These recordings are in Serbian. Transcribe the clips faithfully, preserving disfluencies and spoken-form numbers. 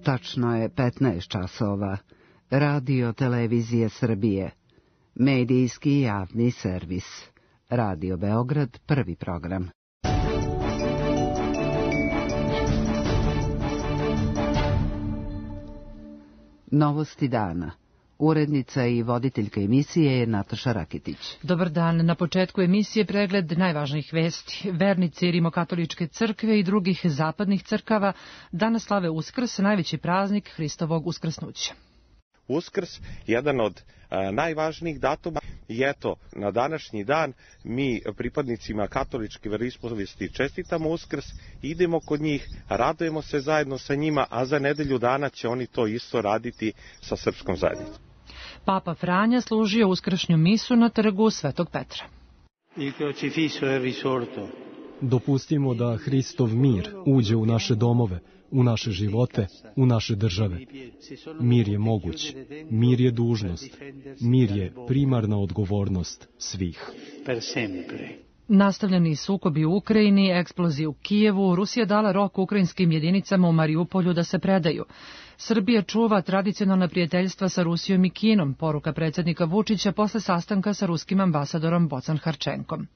Tačno je petnaest časova. Radio Televizije Srbije. Medijski javni servis. Radio Beograd, prvi program. Novosti dana. Urednica i voditeljka emisije je Nataša Rakitić. Dobar dan. Na početku emisije pregled najvažnijih vesti. Vernici Rimokatoličke crkve i drugih zapadnih crkava danas slave Uskrs, najveći praznik Hristovog uskrsnuća. Uskrs, jedan od a, najvažnijih datuma, i eto, na današnji dan mi pripadnicima katoličke veroispovesti čestitamo Uskrs, idemo kod njih, radujemo se zajedno sa njima, a za nedelju dana će oni to isto raditi sa srpskom zajednicom. Papa Franja služio uskršnju misu na trgu Svetog Petra. Il crocifisso è risorto. Dopustimo da Hristov mir uđe u naše domove, u naše živote, u naše države. Mir je moguć, mir je dužnost, mir je primarna odgovornost svih. Nastavljeni sukobi u Ukrajini, eksplozije u Kijevu, Rusija dala rok ukrajinskim jedinicama u Mariupolju da se predaju. Srbija čuva tradicionalna prijateljstva sa Rusijom i Kinom, poruka predsjednika Vučića posle sastanka sa ruskim ambasadorom Bocan Harčenkom.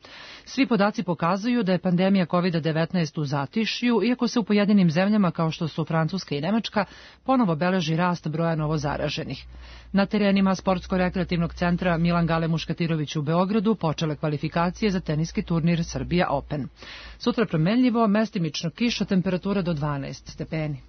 Svi podaci pokazuju da je pandemija kovid devetnaest u zatišju, iako se u pojedinim zemljama kao što su Francuska i Nemačka ponovo beleži rast broja novozaraženih. Na terenima sportsko-rekreativnog centra Milan Gale Muškatirović u Beogradu počele kvalifikacije za teniski turnir Srbija Open. Sutra promenljivo, mestimično kiša, temperatura do dvanaest stepeni.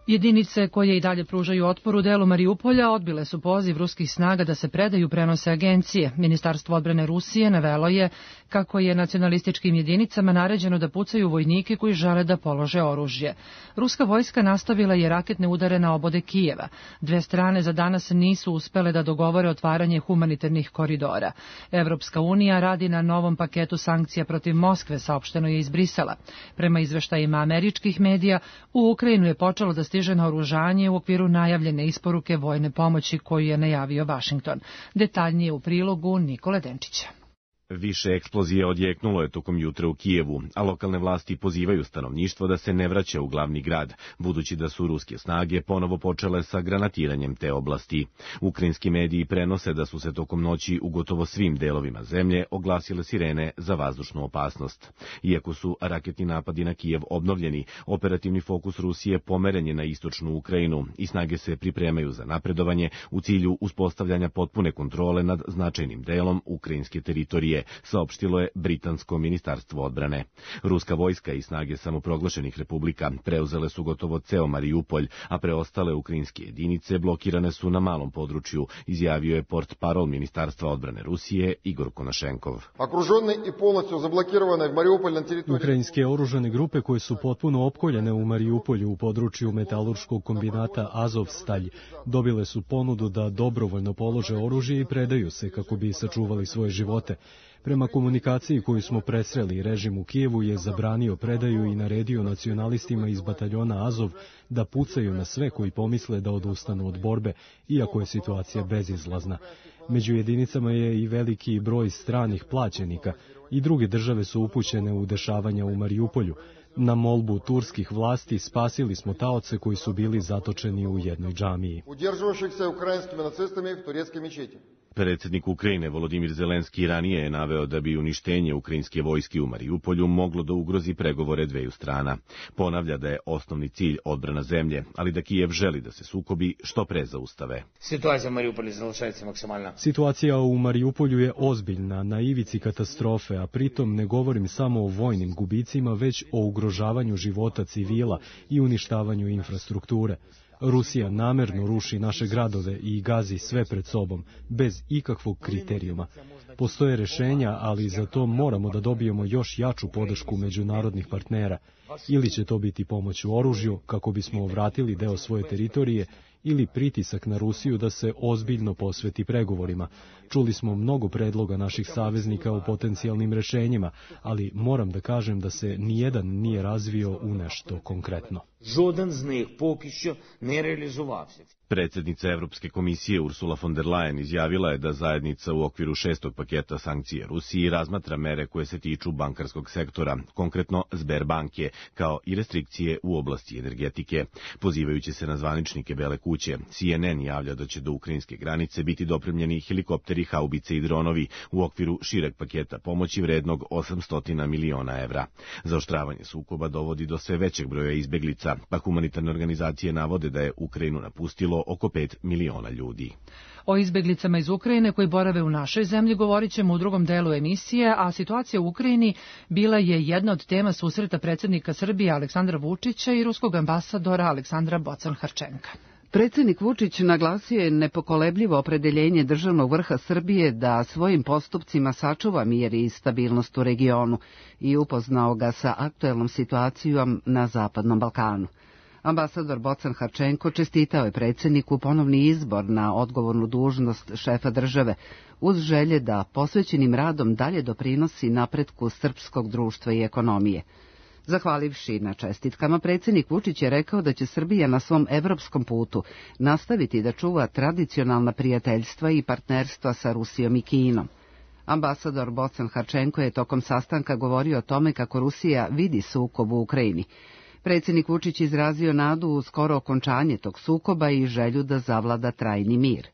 Jedinice koje i dalje pružaju otpor u delu Mariupolja odbile su poziv ruskih snaga da se predaju, prenose agencije. Ministarstvo odbrane Rusije navelo je kako je nacionalističkim jedinicama naređeno da pucaju vojnike koji žele da polože oružje. Ruska vojska nastavila je raketne udare na obode Kijeva. Dve strane za danas nisu uspele da dogovore otvaranje humanitarnih koridora. Evropska unija radi na novom paketu sankcija protiv Moskve, saopšteno je iz Brisela. Prema izveštajima američkih medija, u Ukrajinu je počelo da stiže naoružanje u okviru najavljene isporuke vojne pomoći koju je najavio Vašington. Detaljnije u prilogu Nikole Denčića. Više eksplozije odjeknulo je tokom jutra u Kijevu, a lokalne vlasti pozivaju stanovništvo da se ne vraća u glavni grad, budući da su ruske snage ponovo počele sa granatiranjem te oblasti. Ukrajinski mediji prenose da su se tokom noći u gotovo svim delovima zemlje oglasile sirene za vazdušnu opasnost. Iako su raketni napadi na Kijev obnovljeni, operativni fokus Rusije pomeren je na istočnu Ukrajinu i snage se pripremaju za napredovanje u cilju uspostavljanja potpune kontrole nad značajnim delom ukrajinske teritorije, saopštilo je Britansko ministarstvo odbrane. Ruska vojska i snage samoproglašenih republika preuzele su gotovo ceo Mariupolj, a preostale ukrajinske jedinice blokirane su na malom području, izjavio je portparol ministarstva odbrane Rusije Igor Konašenkov. Ukrajinske oružane grupe koje su potpuno opkoljene u Mariupolju u području metalurškog kombinata Azovstalj dobile su ponudu da dobrovoljno polože oružje i predaju se kako bi sačuvali svoje živote. Prema komunikaciji koju smo presreli, režim u Kijevu je zabranio predaju i naredio nacionalistima iz bataljona Azov da pucaju na sve koji pomisle da odustanu od borbe, iako je situacija bezizlazna. Među jedinicama je i veliki broj stranih plaćenika i druge države su upućene u dešavanja u Mariupolju. Na molbu turskih vlasti spasili smo taoce koji su bili zatočeni u jednoj džamiji. Predsjednik Ukrajine Volodimir Zelenski ranije je naveo da bi uništenje ukrajinske vojske u Mariupolju moglo da ugrozi pregovore dveju strana. Ponavlja da je osnovni cilj odbrana zemlje, ali da Kijev želi da se sukobi što pre zaustave. Situacija u Mariupolju je ozbiljna, na ivici katastrofe, a pritom ne govorim samo o vojnim gubicima, već o ugrožavanju života civila i uništavanju infrastrukture. Rusija namerno ruši naše gradove i gazi sve pred sobom, bez ikakvog kriterijuma. Postoje rešenja, ali za to moramo da dobijemo još jaču podršku međunarodnih partnera. Ili će to biti pomoć u oružju, kako bismo vratili deo svoje teritorije, ili pritisak na Rusiju da se ozbiljno posveti pregovorima. Čuli smo mnogo predloga naših saveznika o potencijalnim rešenjima, ali moram da kažem da se nijedan nije razvio u nešto konkretno. Жоден з них поки що не реалізувався. Predsjednica Evropske komisije Ursula von der Leyen izjavila je da zajednica u okviru šestog paketa sankcija Rusiji razmatra mere koje se tiču bankarskog sektora, konkretno Sberbanke, kao i restrikcije u oblasti energetike. Pozivajući se na zvaničnike Bele kuće, C N N javlja da će do ukrajinske granice biti dopremljeni helikopteri, haubice i dronovi u okviru šireg paketa pomoći vrednog osamsto miliona evra. Zaoštravanje sukoba dovodi do sve većeg broja izbeglica, pa humanitarne organizacije navode da je Ukrajinu napustilo oko pet miliona ljudi. O izbeglicama iz Ukrajine koji borave u našoj zemlji govorit ćemo u drugom delu emisije, a situacija u Ukrajini bila je jedna od tema susreta predsjednika Srbije Aleksandra Vučića i ruskog ambasadora Aleksandra Bocan-Harčenka. Predsjednik Vučić naglasio je nepokolebljivo opredeljenje državnog vrha Srbije da svojim postupcima sačuva mir i stabilnost u regionu i upoznao ga sa aktuelnom situacijom na Zapadnom Balkanu. Ambasador Bocan-Harčenko čestitao je predsjedniku ponovni izbor na odgovornu dužnost šefa države, uz želje da posvećenim radom dalje doprinosi napretku srpskog društva i ekonomije. Zahvalivši na čestitkama, predsjednik Vučić je rekao da će Srbija na svom evropskom putu nastaviti da čuva tradicionalna prijateljstva i partnerstva sa Rusijom i Kinom. Ambasador Bocan-Harčenko je tokom sastanka govorio o tome kako Rusija vidi sukob u Ukrajini. Predsjednik Vučić izrazio nadu u skoro okončanje tog sukoba i želju da zavlada trajni mir.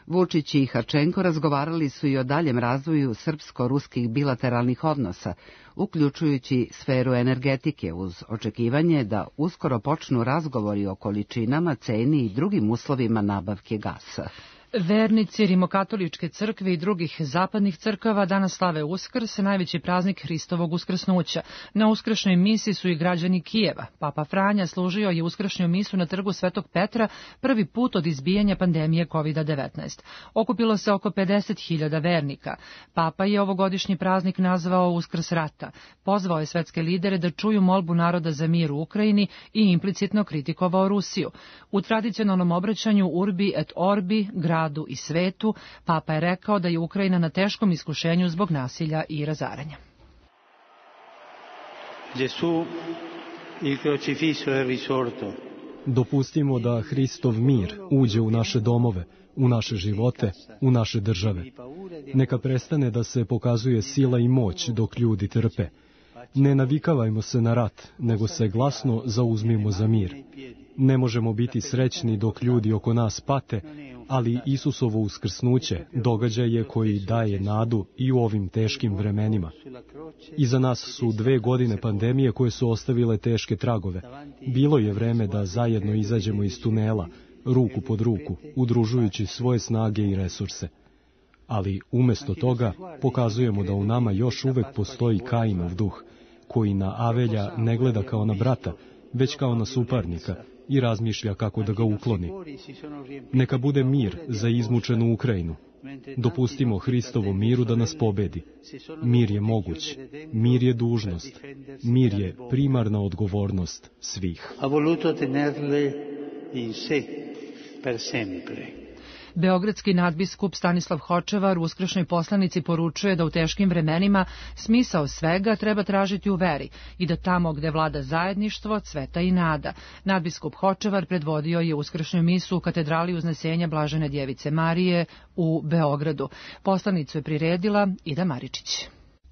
Vučić i Harčenko razgovarali su i o daljem razvoju srpsko-ruskih bilateralnih odnosa, uključujući sferu energetike, uz očekivanje da uskoro počnu razgovori o količinama, ceni i drugim uslovima nabavke gasa. Vernici Rimokatoličke crkve i drugih zapadnih crkava danas slave Uskrs, najveći praznik Hristovog uskrsnuća. Na uskršnjoj misi su i građani Kijeva. Papa Franja služio je uskršnju misu na trgu Svetog Petra prvi put od izbijanja pandemije kovid devetnaest. Okupilo se oko pedeset hiljada vernika. Papa je ovogodišnji praznik nazvao Uskrs rata. Pozvao je svetske lidere da čuju molbu naroda za mir u Ukrajini i implicitno kritikovao Rusiju. U tradicionalnom obraćanju Urbi et Orbi, gradu i svetu, Papa je rekao da je Ukrajina na teškom iskušenju zbog nasilja i razaranja. Gesù, il crocifisso è risorto. Dopustimo da Hristov mir uđe u naše domove, u naše živote, u naše države. Neka prestane da se pokazuje sila i moć dok ljudi trpe. Ne navikavajmo se na rat, nego se glasno zauzmimo za mir. Ne možemo biti srećni dok ljudi oko nas pate, ali Isusovo uskrsnuće događaj je koji daje nadu i u ovim teškim vremenima. Iza nas su dve godine pandemije koje su ostavile teške tragove. Bilo je vreme da zajedno izađemo iz tunela, ruku pod ruku, udružujući svoje snage i resurse. Ali umesto toga pokazujemo da u nama još uvek postoji Kainov duh, koji na Avelja ne gleda kao na brata, već kao na suparnika i razmišlja kako da ga ukloni. Neka bude mir za izmučenu Ukrajinu. Dopustimo Hristovom miru da nas pobedi. Mir je moguć, mir je dužnost, mir je primarna odgovornost svih. Ha voluto tenerle in sé per sempre. Beogradski nadbiskup Stanislav Hočevar u uskršnjoj poslanici poručuje da u teškim vremenima smisao svega treba tražiti u veri i da tamo gde vlada zajedništvo, cveta i nada. Nadbiskup Hočevar predvodio je uskršnju misu u katedrali Uznesenja Blažene djevice Marije u Beogradu. Poslanicu je priredila Ida Maričić.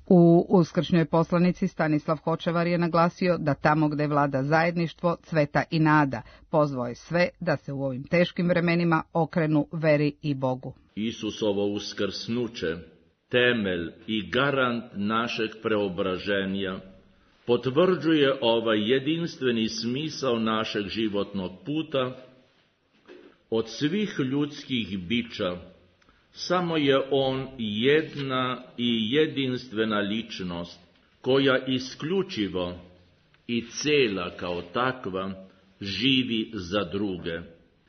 U uskršnjoj poslanici Stanislav Hočevar je naglasio da tamo gde vlada zajedništvo, cveta i nada, pozvao je sve da se u ovim teškim vremenima okrenu veri i Bogu. Isusovo uskrsnuće, temelj i garant našeg preobraženja, potvrđuje ovaj jedinstveni smisao našeg životnog puta. Od svih ljudskih bića samo je on jedna i jedinstvena ličnost, koja isključivo i cela kao takva živi za druge.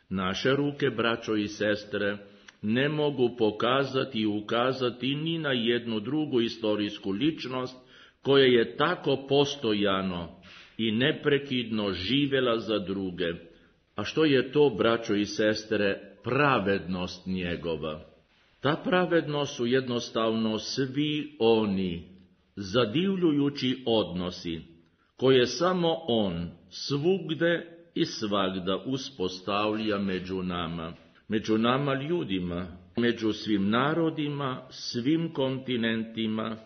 Naše ruke, braćo i sestre, ne mogu pokazati i ukazati ni na jednu drugu istorijsku ličnost koja je tako postojano i neprekidno živela za druge. A što je to, braćo i sestre, pravednost njegova? Ta pravednost su jednostavno svi oni zadivljujući odnosi koje samo on svugde i svagda uspostavlja među nama, među nama ljudima, među svim narodima, svim kontinentima,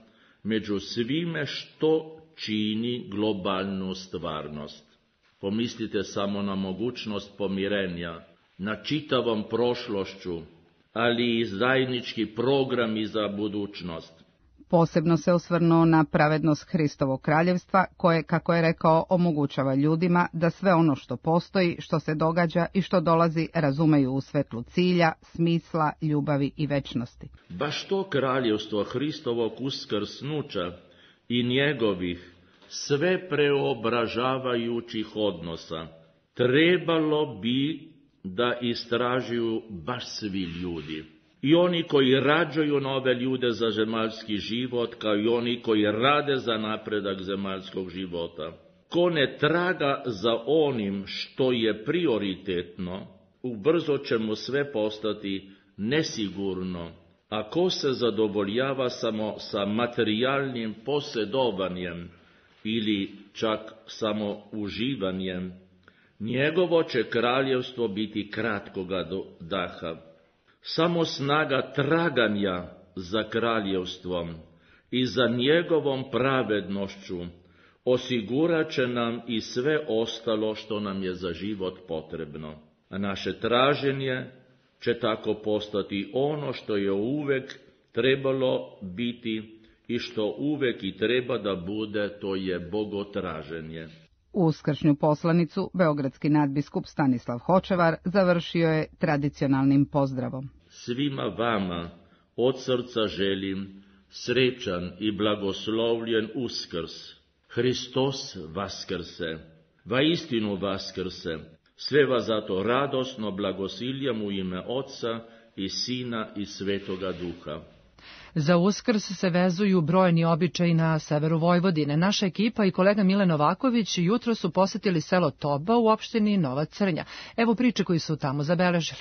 među svime što čini globalnu stvarnost. Pomislite samo na mogućnost pomirenja, na čitavom prošlošću, ali i zajednički programi za budućnost. Posebno se osvrnuo na pravednost Hristovog kraljevstva, koje, kako je rekao, omogućava ljudima da sve ono što postoji, što se događa i što dolazi razumeju u svetlu cilja, smisla, ljubavi i večnosti. Baš to kraljevstvo Hristovog uskrsnuća i njegovih sve preobražavajućih odnosa trebalo bi da istražuju baš svi ljudi. I oni koji rađaju nove ljude za zemaljski život, kao i oni koji rade za napredak zemaljskog života. Ko ne traga za onim što je prioritetno, ubrzo će mu sve postati nesigurno. A ko se zadovoljava samo sa materijalnim posjedovanjem ili čak samo uživanjem, njegovo će kraljevstvo biti kratkoga daha. Samo snaga traganja za kraljevstvom i za njegovom pravednošću osigurat će nam i sve ostalo što nam je za život potrebno. A naše traženje će tako postati ono što je uvek trebalo biti i što uvek i treba da bude, to je bogotraženje. Uskršnju poslanicu beogradski nadbiskup Stanislav Hočevar završio je tradicionalnim pozdravom. Svima vama od srca želim srećan i blagoslovljen Uskrs. Hristos vaskrse, vaistinu vaskrse. Sve vas zato radosno blagosiljam u ime Otca i Sina i Svetoga Duha. Za Uskrs se vezuju brojni običaji na severu Vojvodine. Naša ekipa i kolega Mile Novaković jutro su posetili selo Toba u opštini Nova Crnja. Evo priče koji su tamo zabeležili.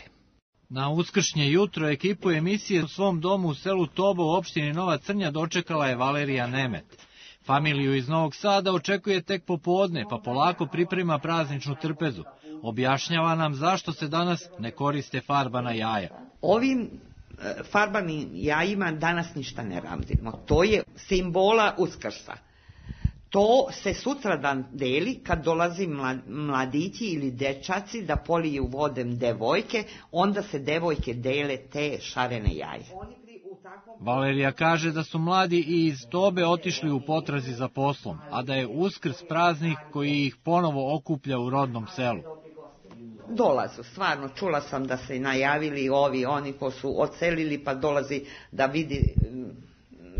Na uskršnje jutro ekipu emisije u svom domu u selu Toba u opštini Nova Crnja dočekala je Valerija Nemet. Familiju iz Novog Sada očekuje tek popodne, pa polako priprema prazničnu trpezu. Objašnjava nam zašto se danas ne koriste farbana jaja. Ovim farbanim jajima danas ništa ne radimo. To je simbola Uskrsa. To se sutradan deli kad dolazi mladići ili dečaci da poliju vodem devojke, onda se devojke dele te šarene jaje. Valerija kaže da su mladi i iz Tobe otišli u potrazi za poslom, a da je Uskrs praznik koji ih ponovo okuplja u rodnom selu. Dolazu, stvarno, čula sam da se najavili ovi, oni ko su odselili pa dolazi da vidi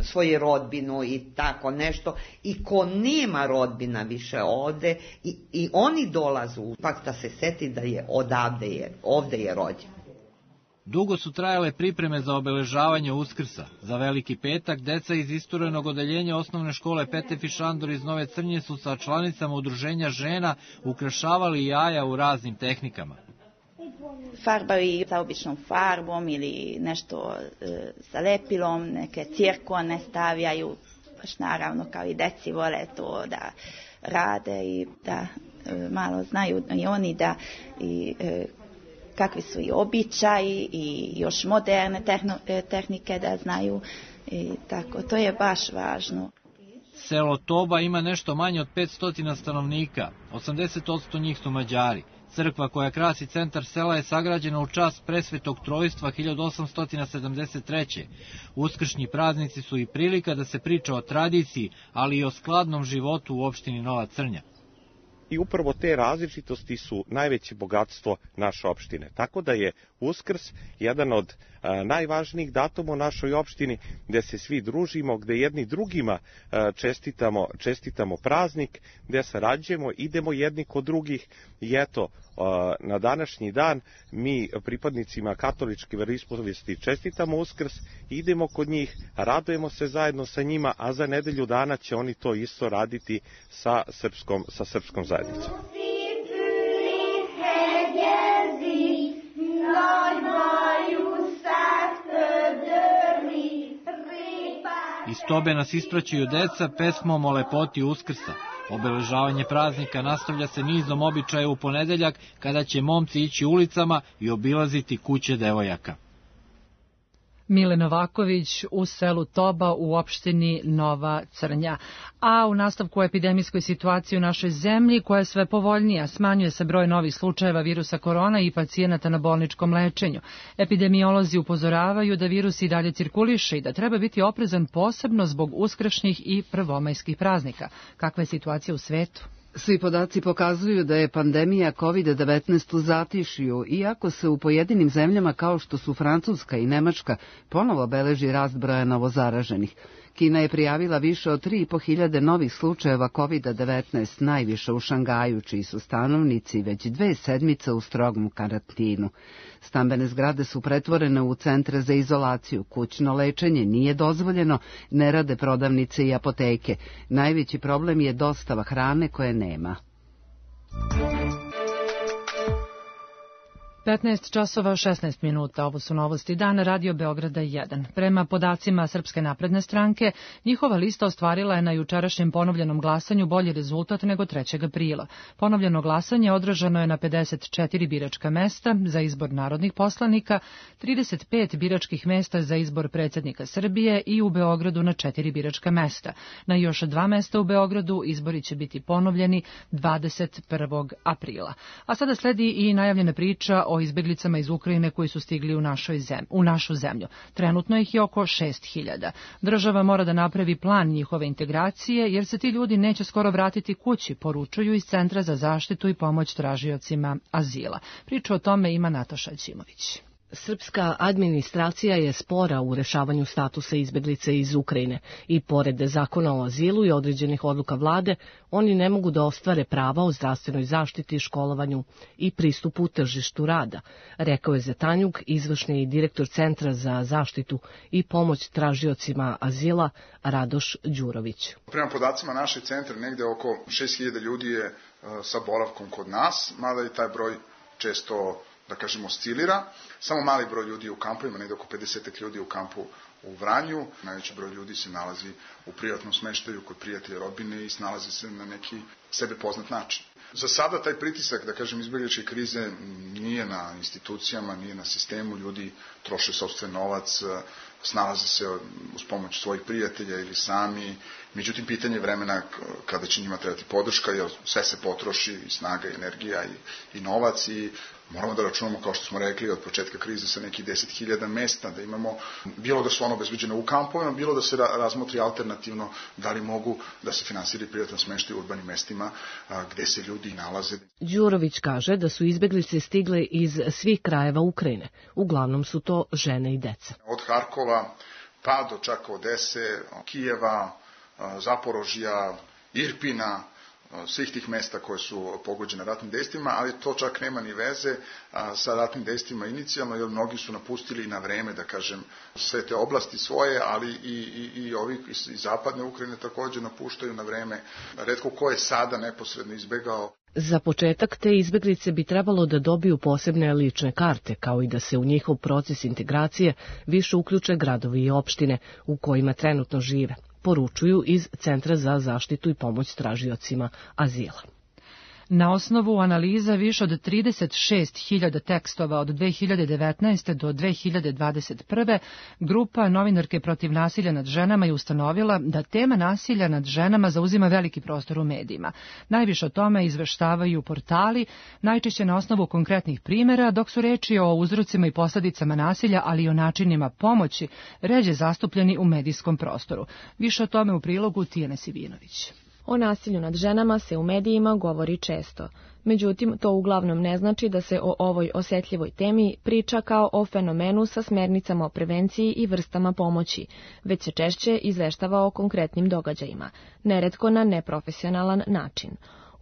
svoju rodbinu i tako nešto, i ko nema rodbina više ovde, i, i oni dolazu, pak da se seti da je odavde je, ovde je rođen. Dugo su trajale pripreme za obeležavanje Uskrsa. Za Veliki petak deca iz isturenog odeljenja osnovne škole Petef i Šandor iz Nove Crnje su sa članicama udruženja žena ukrašavali jaja u raznim tehnikama. Farbaju sa običnom farbom ili nešto e, sa lepilom, neke cirkone stavljaju, baš naravno kao i deci vole to da rade i da e, malo znaju i oni da i e, kakvi su i običaji i još moderne tehno, tehnike da znaju i tako, to je baš važno. Selo Toba ima nešto manje od petsto stanovnika, osamdeset posto njih su Mađari. Crkva koja krasi centar sela je sagrađena u čast Presvetog Trojstva hiljadu osamsto sedamdeset treće. Uskršnji praznici su i prilika da se priča o tradiciji, ali i o skladnom životu u opštini Nova Crnja. I upravo te različitosti su najveće bogatstvo naše opštine. Tako da je Uskrs jedan od a, najvažnijih datuma u našoj opštini, gde se svi družimo, gde jedni drugima a, čestitamo, čestitamo praznik, gde sarađujemo, idemo jedni kod drugih. I eto, a, na današnji dan mi pripadnicima katoličke veroispovesti čestitamo Uskrs, idemo kod njih, radujemo se zajedno sa njima, a za nedelju dana će oni to isto raditi sa srpskom, sa srpskom zajednicom. Iz Tobe nas ispraćaju deca pesmom o lepoti Uskrsa. Obeležavanje praznika nastavlja se nizom običaja u ponedeljak, kada će momci ići ulicama i obilaziti kuće devojaka. Mile Novaković u selu Toba u opštini Nova Crnja. A u nastavku o epidemijskoj situaciji u našoj zemlji, koja je sve povoljnija, smanjuje se broj novih slučajeva virusa korona i pacijenata na bolničkom lečenju. Epidemiolozi upozoravaju da virus i dalje cirkuliše i da treba biti oprezan posebno zbog uskršnjih i prvomajskih praznika. Kakva je situacija u svetu? Svi podaci pokazuju da je pandemija kovid devetnaest u zatišju, iako se u pojedinim zemljama kao što su Francuska i Nemačka ponovo beleži rast broja novozaraženih. Kina je prijavila više od tri i po hiljade novih slučajeva kovid devetnaest, najviše u Šangaju, čiji su stanovnici već dve sedmice u strogom karantinu. Stambene zgrade su pretvorene u centre za izolaciju, kućno lečenje nije dozvoljeno, ne rade prodavnice i apoteke. Najveći problem je dostava hrane koje nema. petnaest časova šesnaest minuta, ovo su novosti dana, Radio Beograda jedan. Prema podacima Srpske napredne stranke, njihova lista ostvarila je na jučerašnjem ponovljenom glasanju bolji rezultat nego trećeg aprila. Ponovljeno glasanje održano je na pedeset četiri biračka mesta za izbor narodnih poslanika, trideset pet biračkih mesta za izbor predsjednika Srbije i u Beogradu na četiri biračka mesta. Na još dva mesta u Beogradu izbori će biti ponovljeni dvadeset prvog aprila. A sada sledi i najavljena priča o izbeglicama iz Ukrajine koji su stigli u, našoj zem, u našu zemlju. Trenutno ih je oko šest hiljada. Država mora da napravi plan njihove integracije, jer se ti ljudi neće skoro vratiti kući, poručuju iz Centra za zaštitu i pomoć tražiocima azila. Priču o tome ima Nataša Ćimović. Srpska administracija je spora u rešavanju statusa izbeglice iz Ukrajine i pored zakona o azilu i određenih odluka vlade, oni ne mogu da ostvare prava o zdravstvenoj zaštiti, školovanju i pristupu tržištu rada, rekao je Zetanjuk, izvršni direktor Centra za zaštitu i pomoć tražiocima azila Radoš Đurović. Prema podacima našeg centra, negde oko šest hiljada ljudi je sa boravkom kod nas, mada i taj broj često, da kažemo, oscilira. Samo mali broj ljudi je u kampu, ima negde oko pedeset ljudi u kampu u Vranju. Najveći broj ljudi se nalazi u privatnom smeštaju kod prijatelja, rodbine i snalazi se na neki sebe poznat način. Za sada taj pritisak, da kažem, izbjegličke krize nije na institucijama, nije na sistemu, ljudi troše sopstven novac, snalaze se uz pomoć svojih prijatelja ili sami. Međutim, pitanje vremena kada će njima trebati podrška, jer sve se potroši, i snaga, i energija, i, i novac, i moramo da računamo, kao što smo rekli, od početka krize sa nekih deset hiljada mesta, da imamo, bilo da su ono obezbeđene u kampovima, bilo da se razmotri alternativno da li mogu da se finansira privatan smeštaj u urbanim mestima a, gde se ljudi nalaze. Đurović kaže da su izbeglice stigle iz svih krajeva Ukrajine. Uglavnom su to žene i deca. Od Harkova pa do čak Odese, Kijeva, Zaporožja, Irpina, svih tih mesta koje su pogođene ratnim dejstvima, ali to čak nema ni veze a, sa ratnim dejstvima inicijalno, jer mnogi su napustili na vreme, da kažem, sve te oblasti svoje, ali i, i, i ovi iz, iz zapadne Ukrajine takođe napuštaju na vreme. Retko ko je sada neposredno izbegao. Za početak, te izbeglice bi trebalo da dobiju posebne lične karte, kao i da se u njihov proces integracije više uključe gradovi i opštine u kojima trenutno žive, poručuju iz Centra za zaštitu i pomoć tražiocima azila. Na osnovu analiza više od trideset šest hiljada tekstova od dve hiljade devetnaeste. do dve hiljade dvadeset prve. grupa Novinarke protiv nasilja nad ženama je ustanovila da tema nasilja nad ženama zauzima veliki prostor u medijima. Najviše o tome izveštavaju portali, najčešće na osnovu konkretnih primjera, dok su reči o uzrocima i posljedicama nasilja, ali i o načinima pomoći, ređe zastupljeni u medijskom prostoru. Više o tome u prilogu Tijane Sivinović. O nasilju nad ženama se u medijima govori često. Međutim, to uglavnom ne znači da se o ovoj osjetljivoj temi priča kao o fenomenu sa smernicama o prevenciji i vrstama pomoći, već se češće izveštava o konkretnim događajima, neretko na neprofesionalan način.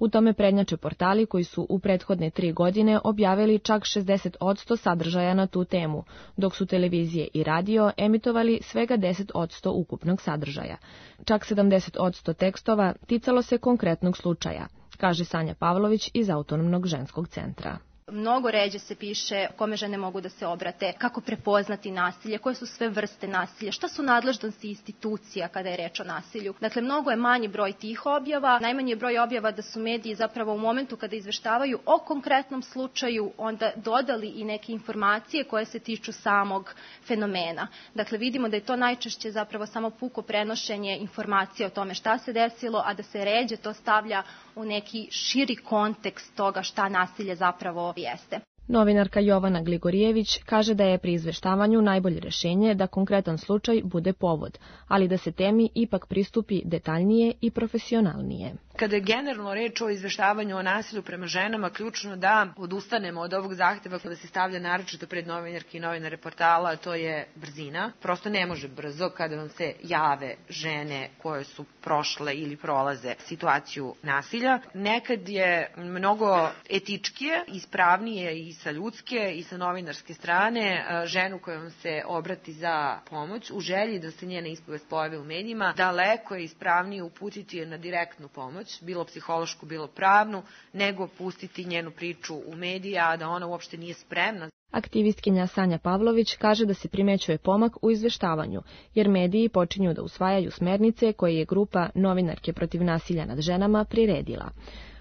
U tome prednjače portali koji su u prethodne tri godine objavili čak šezdeset posto sadržaja na tu temu, dok su televizije i radio emitovali svega deset posto ukupnog sadržaja. Čak sedamdeset posto tekstova ticalo se konkretnog slučaja, kaže Sanja Pavlović iz Autonomnog ženskog centra. Mnogo ređe se piše kome žene mogu da se obrate, kako prepoznati nasilje, koje su sve vrste nasilja, šta su nadležnosti institucija kada je reč o nasilju. Dakle, mnogo je manji broj tih objava, najmanji je broj objava da su mediji zapravo u momentu kada izveštavaju o konkretnom slučaju onda dodali i neke informacije koje se tiču samog fenomena. Dakle, vidimo da je to najčešće zapravo samo puko prenošenje informacija o tome šta se desilo, a da se ređe to stavlja u neki širi kontekst toga šta nasilje zapravo jeste. Novinarka Jovana Gligorijević kaže da je pri izveštavanju najbolje rešenje da konkretan slučaj bude povod, ali da se temi ipak pristupi detaljnije i profesionalnije. Kada je generalno reč o izveštavanju o nasilju prema ženama, ključno da odustanemo od ovog zahteva kada se stavlja naročito pred novinarke i novinare portala, to je brzina. Prosto ne može brzo kada vam se jave žene koje su prošle ili prolaze situaciju nasilja. Nekad je mnogo etičkije, ispravnije i sa ljudske i sa novinarske strane ženu koja vam se obrati za pomoć u želji da se njena ispovest pojavi u medijima, daleko je ispravnije uputiti je na direktnu pomoć, bilo psihološku, bilo pravnu, nego pustiti njenu priču u medije, a da ona uopšte nije spremna. Aktivistkinja Sanja Pavlović kaže da se primećuje pomak u izveštavanju, jer mediji počinju da usvajaju smernice koje je grupa Novinarke protiv nasilja nad ženama priredila.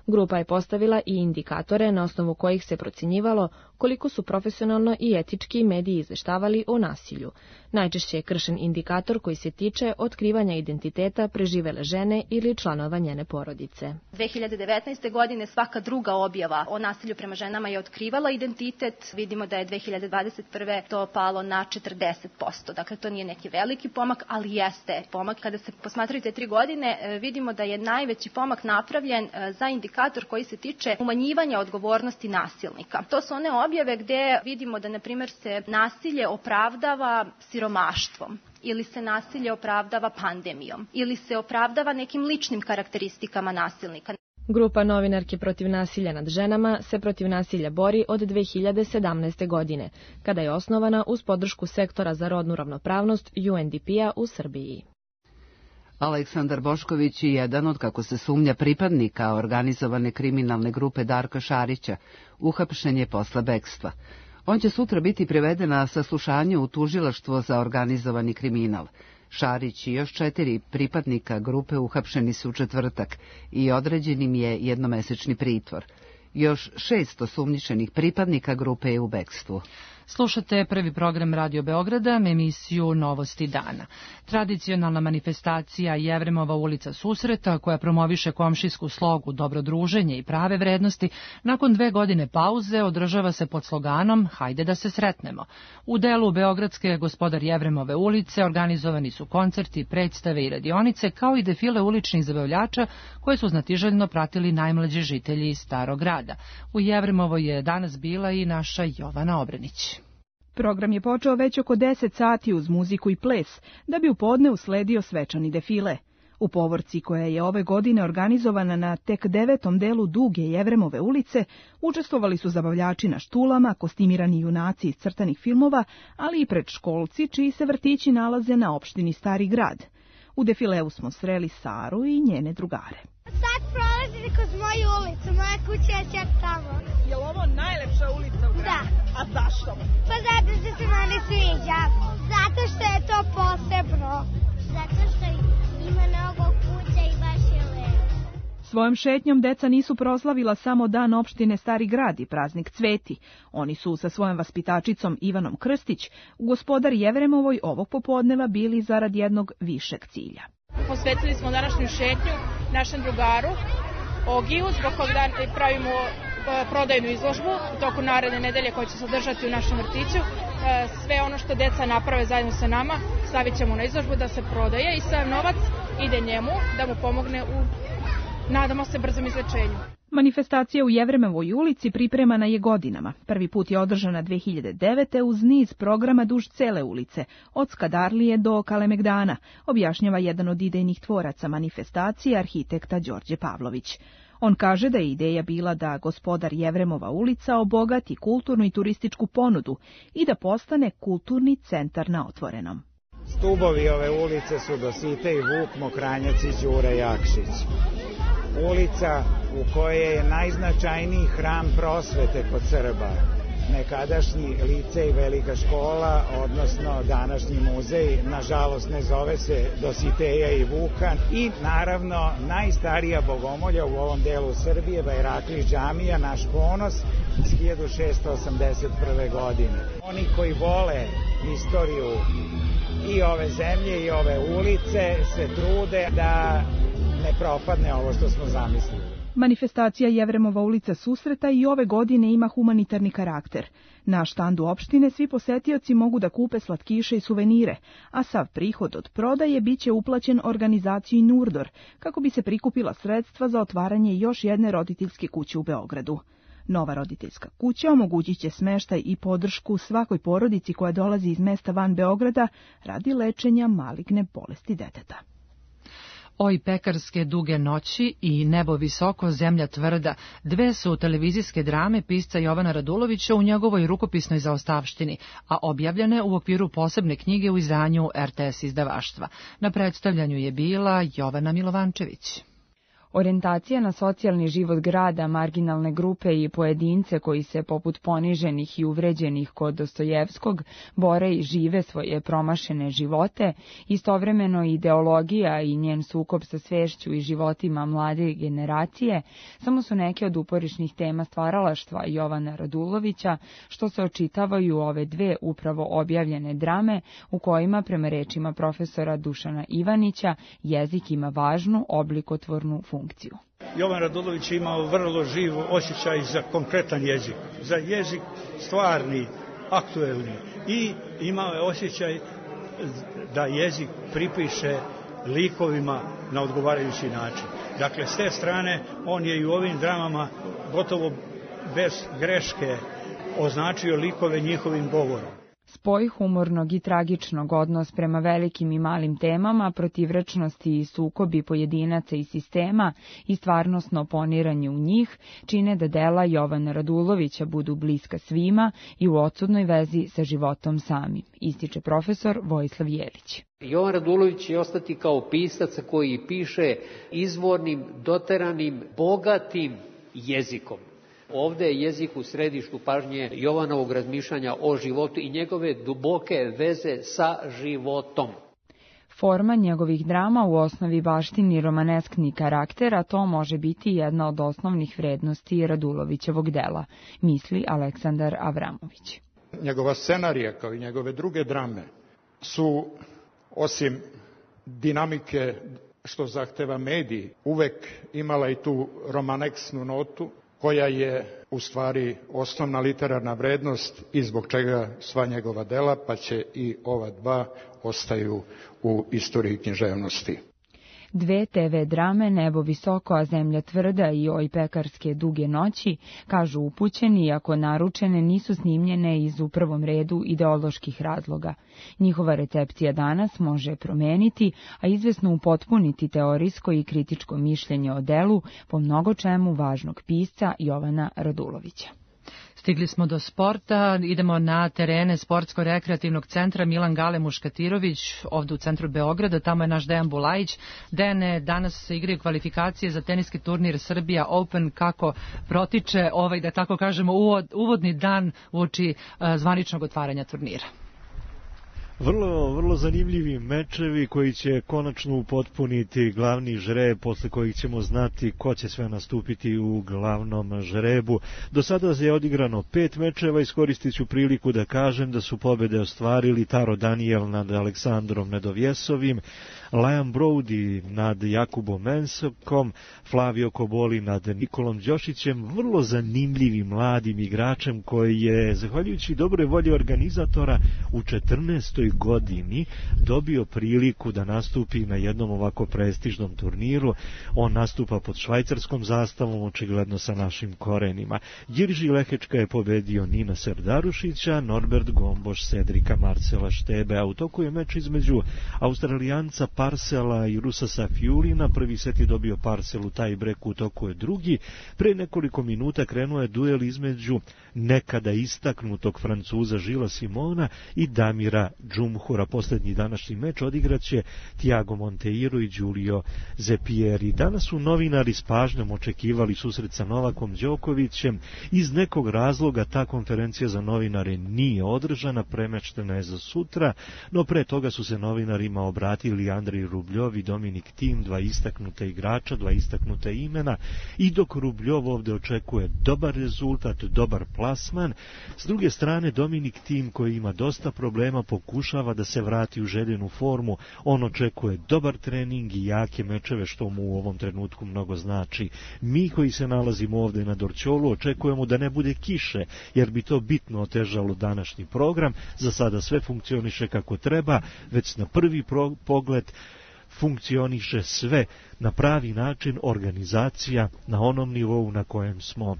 Grupa je postavila i indikatore na osnovu kojih se procjenjivalo koliko su profesionalno i etički mediji izveštavali o nasilju. Najčešće je kršen indikator koji se tiče otkrivanja identiteta preživele žene ili članova njene porodice. dve hiljade devetnaeste. godine svaka druga objava o nasilju prema ženama je otkrivala identitet. Vidimo da je dve hiljade dvadeset prve. to palo na četrdeset posto. Dakle, to nije neki veliki pomak, ali jeste pomak. Kada se posmatraju te tri godine, vidimo da je najveći pomak napravljen za indikator koji se tiče umanjivanja odgovornosti nasilnika. To su one objave gde vidimo da, na primjer, se nasilje opravdava siromaštvom, ili se nasilje opravdava pandemijom, ili se opravdava nekim ličnim karakteristikama nasilnika. Grupa Novinarke protiv nasilja nad ženama se protiv nasilja bori od dve hiljade sedamnaeste. godine, kada je osnovana uz podršku Sektora za rodnu ravnopravnost U N D P-a u Srbiji. Aleksandar Bošković je jedan od, kako se sumnja, pripadnika organizovane kriminalne grupe Darka Šarića, uhapšen je posle bekstva. On će sutra biti priveden na saslušanje u tužilaštvo za organizovani kriminal. Šarić i još četiri pripadnika grupe uhapšeni su u četvrtak i određen im je jednomesečni pritvor. Još šest osumnjičenih pripadnika grupe je u bekstvu. Slušate prvi program Radio Beograda, emisiju Novosti dana. Tradicionalna manifestacija Jevremova ulica susreta, koja promoviše komšijsku slogu, dobro druženje i prave vrednosti, nakon dve godine pauze održava se pod sloganom Hajde da se sretnemo. U delu Beogradske Gospodar Jevremove ulice organizovani su koncerti, predstave i radionice, kao i defile uličnih zabavljača koje su znatiželjno pratili najmlađi žitelji Starog grada. U Jevremovoj je danas bila i naša Jovana Obrenić. Program je počeo već oko deset sati uz muziku i ples, da bi u podne usledio svečani defile. U povorci, koja je ove godine organizovana na tek devetom delu duge Jevremove ulice, učestvovali su zabavljači na štulama, kostimirani junaci iz crtanih filmova, ali i predškolci čiji se vrtići nalaze na opštini Stari grad. U defileu smo sreli Saru i njene drugare. Sad prolazite kroz moju ulicu, moja kuća je čak tamo. Je li ovo najlepša ulica u gradu? Da. A zašto? Pa zato što se meni sviđa. Zato što je to posebno. Zato što ima mnogo kuća i baš je lepo. Svojom šetnjom deca nisu proslavila samo dan opštine Stari grad i praznik Cveti. Oni su sa svojom vaspitačicom Ivanom Krstić u Gospodar Jevremovoj ovog popodneva bili zarad jednog višeg cilja. Posvetili smo današnju šetnju našem drugaru Ogiju, zbog kog pravimo prodajnu izložbu u toku naredne nedelje koja će se održati u našem vrtiću. Sve ono što deca naprave zajedno sa nama stavit ćemo na izložbu da se prodaje i sav novac ide njemu da mu pomogne u, nadamo se, brzom izlečenju. Manifestacija u Jevremovoj ulici pripremana je godinama. Prvi put je održana dve hiljade devete. uz niz programa duž cele ulice, od Skadarlije do Kalemegdana, objašnjava jedan od idejnih tvoraca manifestacije, arhitekta Đorđe Pavlović. On kaže da je ideja bila da Gospodar Jevremova ulica obogati kulturnu i turističku ponudu i da postane kulturni centar na otvorenom. Stubovi ove ulice su Dositej, Vuk Mokranjac i Đure Jakšić. ulica u kojoj je najznačajniji hram prosvete kod Srba, nekadašnji licej Velika škola, odnosno današnji muzej, nažalost ne zove se Dositeja i Vuka, i naravno najstarija bogomolja u ovom delu Srbije, Bajrakli džamija, naš ponos, iz hiljadu šeststo osamdeset prve. godine. Oni koji vole istoriju i ove zemlje i ove ulice se trude da ne propadne ovo što smo zamislili. Manifestacija Jevremova ulica susreta i ove godine ima humanitarni karakter. Na štandu opštine svi posetioci mogu da kupe slatkiše i suvenire, a sav prihod od prodaje biće uplaćen organizaciji Nurdor, kako bi se prikupila sredstva za otvaranje još jedne roditeljske kuće u Beogradu. Nova roditeljska kuća omogućit će smeštaj i podršku svakoj porodici koja dolazi iz mesta van Beograda radi lečenja maligne bolesti deteta. Oj pekarske duge noći i Nebo visoko, zemlja tvrda, dve su televizijske drame pisca Jovana Radulovića u njegovoj rukopisnoj zaostavštini, a objavljene u okviru posebne knjige u izdanju er te es izdavaštva. Na predstavljanju je bila Jovana Milovančević. Orijentacija na socijalni život grada, marginalne grupe i pojedince koji se poput poniženih i uvređenih kod Dostojevskog bore i žive svoje promašene živote, istovremeno ideologija i njen sukob sa svešću i životima mlade generacije, samo su neke od uporišnih tema stvaralaštva Jovana Radulovića, što se očitavaju ove dve upravo objavljene drame, u kojima, prema rečima profesora Dušana Ivanića, jezik ima važnu oblikotvornu funkciju. funkciju. Jovan Radulović je imao vrlo živ osjećaj za konkretan jezik, za jezik stvarni, aktuelni, i imao je osjećaj da jezik pripiše likovima na odgovarajući način. Dakle, s te strane on je i u ovim dramama gotovo bez greške označio likove njihovim govorom. Spoj humornog i tragičnog, odnos prema velikim i malim temama, protivrečnosti i sukobi pojedinaca i sistema i stvarnosno poniranje u njih čine da dela Jovana Radulovića budu bliska svima i u odsudnoj vezi sa životom samim, ističe profesor Vojislav Jelić. Jovan Radulović će ostati kao pisac koji piše izvornim, doteranim, bogatim jezikom. Ovde je jezik u središtu pažnje Jovanovog razmišljanja o životu i njegove duboke veze sa životom. Forma njegovih drama u osnovi baštini romaneskni karakter, a to može biti jedna od osnovnih vrednosti Radulovićevog dela, misli Aleksandar Avramović. Njegova scenarija, kao i njegove druge drame, su, osim dinamike što zahteva mediji, uvek imala i tu romaneksnu notu, koja je u stvari osnovna literarna vrednost i zbog čega sva njegova dela, pa će i ova dva, ostaju u istoriji književnosti. Dve te ve drame, Nebo visoko, a zemlja tvrda i Oj pekarske duge noći, kažu upućeni, iako naručene, nisu snimljene iz u prvom redu ideoloških razloga. Njihova recepcija danas može promeniti, a izvesno upotpuniti teorijsko i kritičko mišljenje o delu po mnogo čemu važnog pisca Jovana Radulovića. Stigli smo do sporta, idemo na terene Sportsko-rekreativnog centra Milan Gale Muškatirović, ovdje u centru Beograda, tamo je naš Dejan Bulajić. Dejane, danas se igraju kvalifikacije za teniski turnir Srbija Open, kako protiče ovaj, da tako kažemo, uvodni dan uoči zvaničnog otvaranja turnira. Vrlo, vrlo zanimljivi mečevi koji će konačno upotpuniti glavni žreb, posle kojih ćemo znati ko će sve nastupiti u glavnom žrebu. Do sada je odigrano pet mečeva, iskoristit ću priliku da kažem da su pobede ostvarili Taro Daniel nad Aleksandrom Nedovjesovim, Liam Brody nad Jakubom Mensokom, Flavio Koboli nad Nikolom Đošićem, vrlo zanimljivim mladim igračem koji je, zahvaljujući dobroj volji organizatora, u četrnaestoj godini dobio priliku da nastupi na jednom ovako prestižnom turniru. On nastupa pod švajcarskom zastavom, očigledno sa našim korenima. Jirži Lehečka je pobedio Nina Serdarušića, Norbert Gomboš Cedrika Marcela Štebe, a u toku je meč između Australijanca Parcela i Rusasa Fjulina. Prvi set je dobio Parcel u taj breku, u toku je drugi. Pre nekoliko minuta krenuo je duel između nekada istaknutog Francuza Žila Simona i Damira Džumhura. Posljednji današnji meč odigraće Thiago Monteiro i Giulio Zepieri. Danas su novinari s pažnjom očekivali susret sa Novakom Đokovićem. Iz nekog razloga ta konferencija za novinare nije održana, premeštena je za sutra, no pre toga su se novinarima obratili Andrej Rubljov i Dominik Tim, dva istaknuta igrača, dva istaknuta imena, i dok Rubljov ovdje očekuje dobar rezultat, dobar plasman, s druge strane Dominik Tim, koji ima dosta problema, pokušava da se vrati u željenu formu. On očekuje dobar trening i jake mečeve, što mu u ovom trenutku mnogo znači. Mi koji se nalazimo ovdje na Dorćolu očekujemo da ne bude kiše, jer bi to bitno otežalo današnji program. Za sada sve funkcioniše kako treba, već na prvi pro- pogled funkcioniše sve na pravi način, organizacija na onom nivou na kojem smo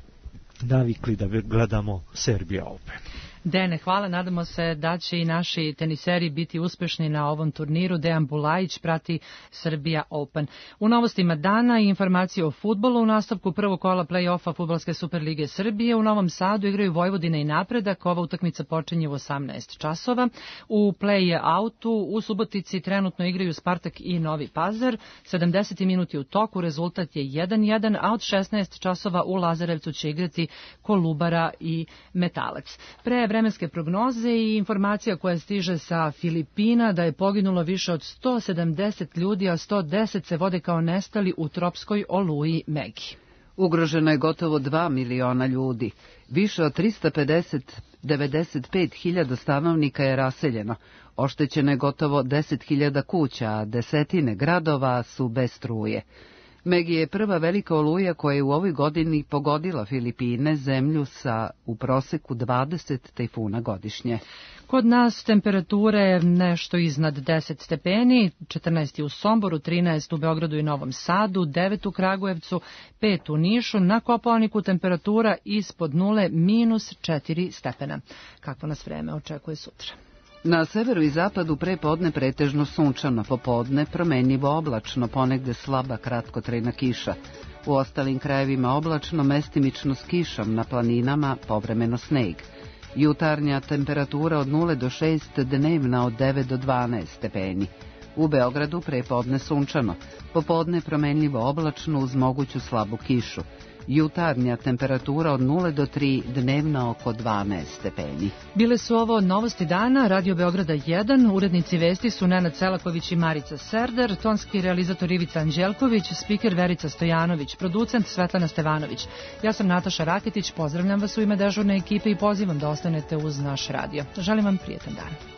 navikli da gledamo Serbia Open. Dene, hvala. Nadamo se da će i naši teniseri biti uspešni na ovom turniru. Dejan Bulajić prati Serbia Open. U novostima dana i informacije o fudbalu. U nastavku prvog kola play-offa Fudbalske Superlige Srbije u Novom Sadu igraju Vojvodina i Napredak. Ova utakmica počinje u osamnaest časova. U play-outu u Subotici trenutno igraju Spartak i Novi Pazar. sedamdeseti minuti u toku, rezultat je jedan jedan, a od šesnaest časova u Lazarevcu će igrati Kolubara i Metalac. Pre vremenske prognoze i informacija koja stiže sa Filipina da je poginulo više od sto sedamdeset ljudi, a sto deset se vode kao nestali u tropskoj oluji Megi. Ugroženo je gotovo dva miliona ljudi. Više od trista pedeset devedeset pet hiljada stanovnika je raseljeno. Oštećeno je gotovo deset hiljada kuća, a desetine gradova su bez struje. Megi je prva velika oluja koja je u ovoj godini pogodila Filipine, zemlju sa u proseku dvadeset tajfuna godišnje. Kod nas temperature nešto iznad deset stepeni, četrnaest u Somboru, trinaest u Beogradu i Novom Sadu, devet u Kragujevcu, pet u Nišu, na Kopaoniku temperatura ispod nule, minus četiri stepena. Kakvo nas vreme očekuje sutra? Na severu i zapadu pre podne pretežno sunčano, popodne promenljivo oblačno, ponegde slaba kratkotrajna kiša. U ostalim krajevima oblačno, mestimično s kišom, na planinama povremeno sneg. Jutarnja temperatura od nule do šest, dnevna od devet do dvanaest stepeni. U Beogradu pre podne sunčano, popodne promenljivo oblačno uz moguću slabu kišu. Jutarnja temperatura od nule do tri, dnevna oko dvanaest stepeni. Bile su ovo novosti dana, Radio Beograda jedan, urednici vesti su Nenad Selaković i Marica Serder, tonski realizator Ivica Anđelković, spiker Verica Stojanović, producent Svetlana Stevanović. Ja sam Nataša Raketić, pozdravljam vas u ime dežurne ekipe i pozivam da ostanete uz naš radio. Želim vam prijetan dan.